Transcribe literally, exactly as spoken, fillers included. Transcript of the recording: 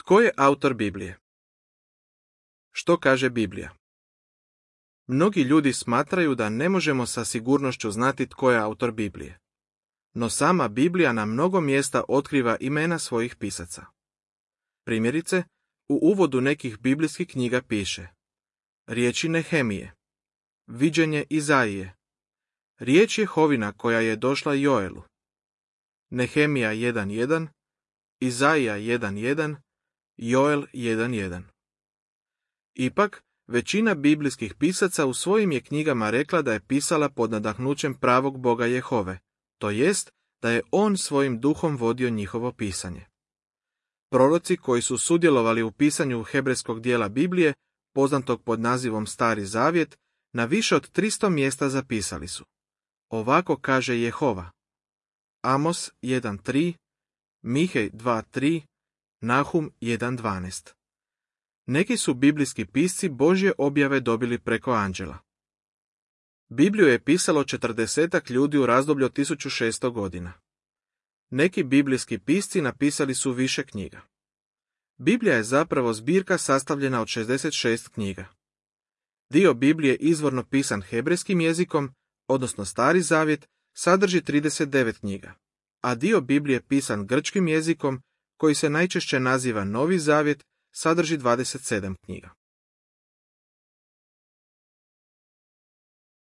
Tko je autor Biblije? Što kaže Biblija? Mnogi ljudi smatraju da ne možemo sa sigurnošću znati tko je autor Biblije. No sama Biblija na mnogo mjesta otkriva imena svojih pisaca. Primjerice, u uvodu nekih biblijskih knjiga piše: riječi Nehemije, viđenje Izaije, riječ Jehovina koja je došla Joelu, Nehemija jedan jedan, Izaija jedan jedan, Joel jedan jedan. Ipak, većina biblijskih pisaca u svojim je knjigama rekla da je pisala pod nadahnućem pravog Boga Jehove, to jest da je on svojim duhom vodio njihovo pisanje. Proroci koji su sudjelovali u pisanju hebrejskog dijela Biblije, poznatog pod nazivom Stari zavjet, na više od tristo mjesta zapisali su: ovako kaže Jehova. Amos jedan tri, Mihej dva tri, Nahum jedan dvanaest. Neki su biblijski pisci Božje objave dobili preko anđela. Bibliju je pisalo četrdesetak ljudi u razdoblju od tisuću šesto godina. Neki biblijski pisci napisali su više knjiga. Biblija je zapravo zbirka sastavljena od šezdeset šest knjiga. Dio Biblije izvorno pisan hebrejskim jezikom, odnosno Stari zavjet, sadrži trideset devet knjiga, a dio Biblije pisan grčkim jezikom, koji se najčešće naziva Novi zavjet, sadrži dvadeset sedam knjiga.